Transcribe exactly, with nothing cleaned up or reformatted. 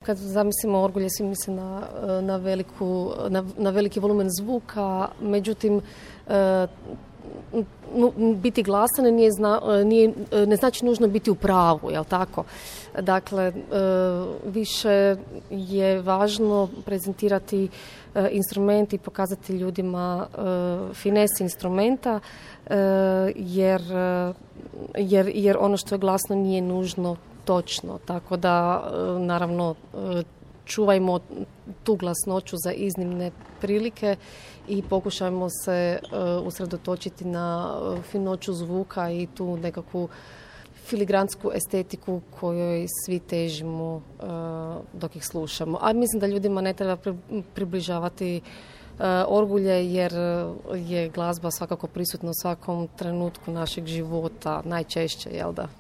Kad zamislimo orgulje, svi misle na, na, veliku, na, na veliki volumen zvuka, međutim, biti glasan nije, zna, nije, ne znači nužno biti u pravu, jel tako? Dakle, više je važno prezentirati instrument i pokazati ljudima finese instrumenta, jer, jer, jer ono što je glasno nije nužno točno, tako da naravno čuvajmo tu glasnoću za iznimne prilike i pokušajmo se usredotočiti na finoću zvuka i tu nekakvu filigransku estetiku kojoj svi težimo dok ih slušamo. A mislim da ljudima ne treba približavati orgulje jer je glazba svakako prisutna u svakom trenutku našeg života, najčešće, jel da?